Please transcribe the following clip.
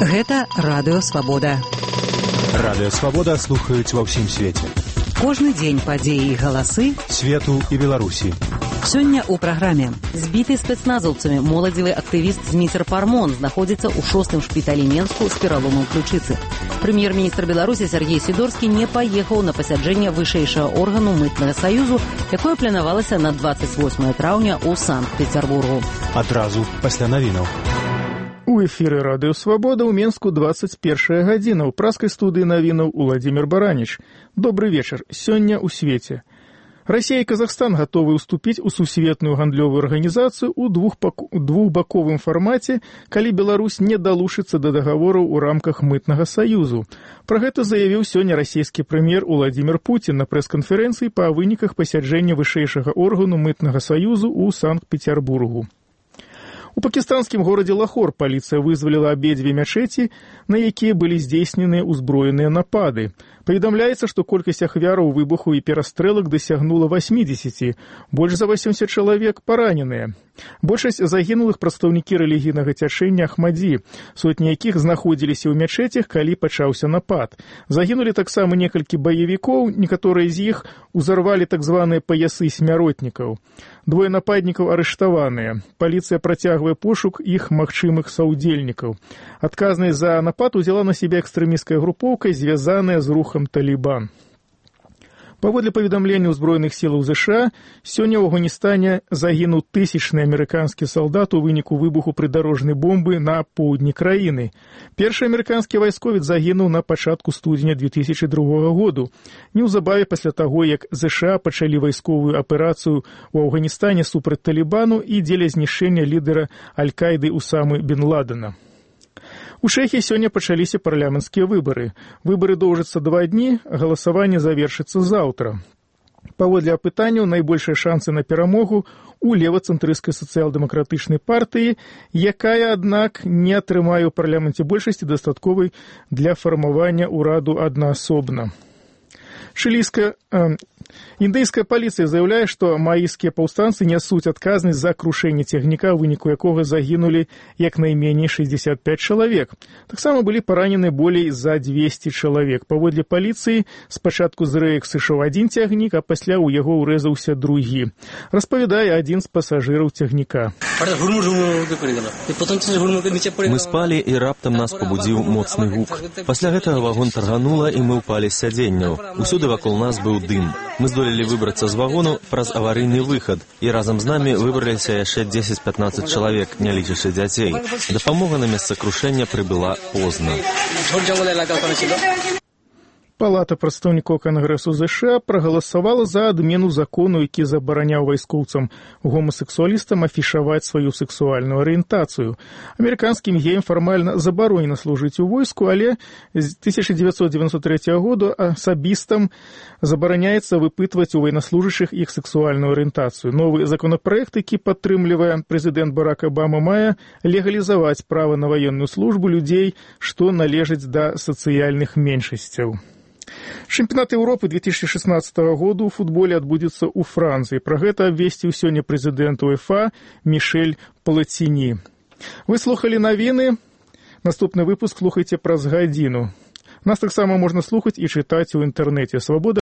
Гэта Радыё Свабода. Радыё Свабода слухаюць ва ўсім свеце. Кожны дзень падзеі і галасы свету і Беларусі. Сёння ў праграме. Збіты спецназаўцамі моладзевы актывіст Зміцер Пармон знаходзіцца ў 6-м шпіталі Менску з пераломам ключыцы. Прэм'ер-міністр Беларусі Сергей Сідорскі не паехаў на пасяджэнне вышэйшага органу мытнага саюзу, якое планавалася на 28 траўня ў Санкт-Петербургу. Адразу пасля навінаў. У эфіры Радыё Свабода ў Менску 21 гадзіна. У праскай студыі навінаў Уладзімір Бараніч. Добры вечар. Сёння ў свеце. Расія і Казахстан гатовы ўступіць у сусветную гандлёвую арганізацыю ў двухбаковым фармаце, калі Беларусь не далучыцца да дагавораў у рамках мытнага саюзу. Пра гэта заявіў сёння расійскі прэм'ер Уладзімір Пуцін на прэс-канферэнцыі па выніках пасяджэння вышэйшага органу мытнага саюзу ў Санкт-Петербургу. У пакістанскім горадзе Лахор паліцыя вызваліла абедзве мячэці, на якія былі здзейсненыя ўзброеныя напады. Паведамляецца, што колькасць ахвяраў выбуху і перастрэлак дасягнула 80, больш за 80 чалавек параненыя. Большасць загінулых прадстаўнікі рэлігійнага цячэння Ахмадзі, сотні якіх знаходзіліся ў мячэцях, калі пачаўся напад. Загінулі таксама некалькі баевікоў, некаторыя з іх узарвалі так званыя паясы смяротнікаў. Двое нападнікаў арыштаваныя. Паліцыя працягвае пошук іх магчымых саўдзельнікаў. Адказнасць за напад узяла на сябе экстрэмісцкая групоўка, звязаная з рухам Талібан. Паводле паведамлення ўзброеных сілаў ЗША, сёння ў Афганістане загінуў тысячны амерыканскі салдат у выніку выбуху прыдарожнай бомбы на поўдні краіны. Першы амерыканскі вайсковец загінуў на пачатку студзеня 2002 году. Неўзабаве пасля таго, як ЗША пачалі вайсковую аперацыю ў Афганістане супраць Талібану і дзеля знішчэння лідара Аль-Каіды Усамы бен Ладена. У Чэхіі сёння пачаліся парламенцкія выбары. Выбары доўжацца 2 дні, галасаванне завершыцца заўтра. Паводле апытанняў, найбольшыя шансы на перамогу у левацэнтрысцкай сацыял-дэмакратычнай партыі, якая, аднак, не атрымае ў парламенце большасці дастатковай для фармавання ўраду аднаасобна. Індыйская паліцыя заяўляе, што маіскія паўстанцы нясуць адказнасць за крушэнне цягніка, у выніку якога загінулі як найменей 65 чалавек. Таксама былі паранены болей за 200 чалавек. Паводле паліцыі, спачатку з рэек сышоў адзін цягнік, а пасля ў яго ўрэзаўся другі. Распавядае адзін з пасажыраў цягніка. Мы спалі, і раптам нас пабудзіў моцны гук. Пасля гэтага вагон тарганула, і мы ўпалі з сядзенняў. Усюды вакол нас быў дым. Мы здолелі выбрацца з вагону праз аварыйны выхад, і разам з намі выбраліся яшчэ 10-15 чалавек, не лічачы дзяцей. Дапамога на месца крушэння прыбыла позна. Палата прадстаўнікоў Кангрэсу ЗША прагаласавала за адмену закону, які забараняў вайскоўцам гомасексуалістам афішаваць сваю сексуальную арыентацыю. Амерыканскім геям фармальна забаронена служыць у войску, але з 1993 года асабістам забараняецца выпытваць у ваеннаслужачых іх сексуальную арыентацыю. Новы законапраект, які падтрымлівае прэзідэнт Барак Абама, мае легалізаваць права на ваенную службу людзей, што належаць да сацыяльных меншасцяў. Чэмпіянат Еўропы 2016 года ў футболе адбудзецца ў Францыі. Пра гэта абвесціў сёння прэзідэнт УЕФА Мішэль Плаціні. Вы слухалі навіны. Наступны выпуск слухайце праз гадзіну. Нас таксама можна слухаць і чытаць у інтэрнэце. Свабода.